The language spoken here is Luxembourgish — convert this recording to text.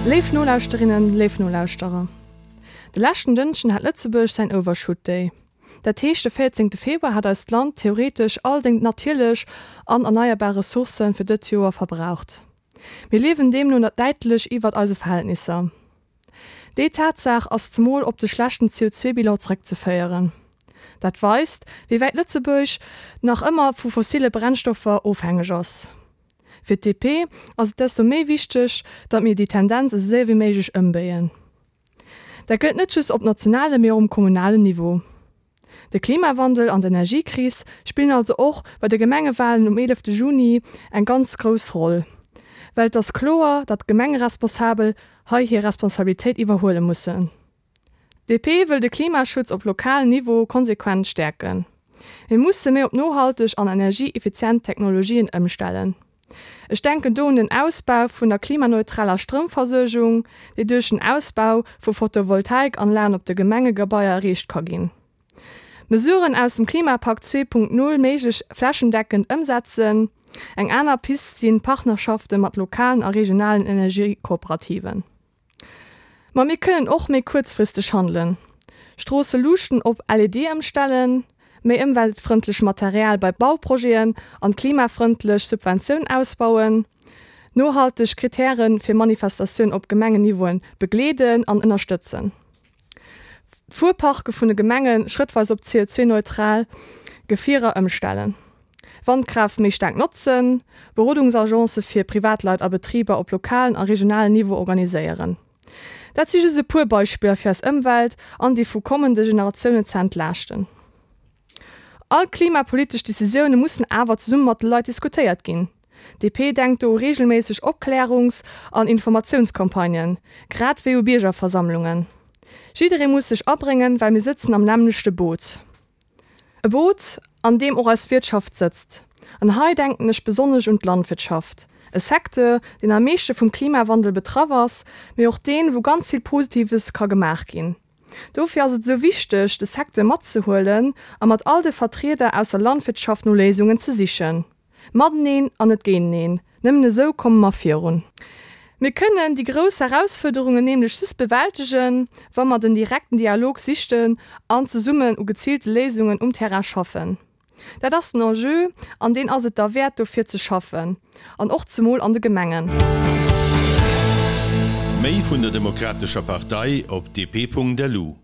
Léif Nolauschterinnen, léif Nolauschterer, de leschten Dënschden hat Lëtzebuerg säin Overshoot Day. Dat heescht, de 14 Februar hat eist Land theoretesch all seng natierlech an erneierbar Ressourcë fir dëtt Joer verbraucht. Mir liewen deemno däitlech iwwert eise Verhältnisser. Déi Tatsaach ass zemol op de schlechten CO2-Bilan zeréckzeféieren. Dat weist, wéi wäit Lëtzebuerg nach ëmmer vu fossille Brennstoffer ofhängeg ass. Fir d'DP ass et desto méi wichteg, datt mir déi Tendenz esou séier wéi méiglech ëmbéien. Dat gëllt net just op nationalem, mee och um kommunalen Niveau. De Klimawandel an d'Energiekris spillen also och bei de Gemengewalen um 11 Juni eng ganz grouss Roll, well et ass kloer, datt d'Gemengeresponsabel hei hir Responsabilitéit iwwerhuele mussen. DP wëll de Klimaschutz op lokalen Niveau konsequent stäerken. Mir musse méi op nohalteg an energieeffizient Technologien ëmstellen. Ech denken do un den Ausbau vun der klimaneutraler Stroumversuergung, déi duerch den Ausbau vu Photovoltaikanlagen op de Gemengegebaier erreecht ka ginn. Mesuren aus dem Klimapakt 2.0 méiglech flächendeckend ëmsetzen. Eng aner Pist sinn Partnerschafte mat lokalen a regionalen Energiekooperativen. Ma mir kënnen och méi kuerzfristeg handelen, Stroosseluuchten op LED ëmstellen, méi ëmweltfrëndlech Material bei Bauprojeten an d'klimafrëndlech Subventioun ausbauen, nohalteg Kritäre fir Manifestatioun op Gemengenniveauen begleeden an ënnerstëtzen, d'Fuerparke vun de Gemenge schrëttweis op CO2-neutral Gefierer ëmstellen, Wandkraaft méi staark notzen, Berodungsagence fir Privatleit a Betriber op lokalen a regionalen Niveau organiséieren. Dat si just e puer Beispiller fir eis Ëmwelt an déi vu kommende Generatiounen ze entlaaschten. All klimapolitesch Decisioune mussen awer zesumme mat de Leit diskutéiert ginn. DP denkt do u reegelméisseg Opklärungs an Informatiounscampagnen, grad wéi u Biergerversammlungen. Jidderee muss sech abréngen, well mir sëtzen am nämmlechte Boot. E Boot, an deem och eis Wirtschaft sëtzt. An hei denken ech besonnesch un d'Landwirtschaft, e Secteur, deen am meeschte vum Klimawandel betraff ass, mee och deen, wou ganz vill Positives ka gemaach ginn. Dofir ass et esou wichteg, de Secteur matzehuelen a mat all de Vertrieder aus der Landwirtschaft no Léisungen ze sichen. Mateneen an net géinteneen, nëmmen esou komme mer virun. Mir kënnen déi grouss Herausfuerderungen nämlech just bewältegen, wa mer den direkten Dialog sichten an zesummen u geziilte Léisungen um Terrain schaffen. Dat ass den Enjeu an deen ass et derwäert dofir ze schaffen, an och zemol an de Gemengen. Méi vun der Demokratescher Partei op dp.lu.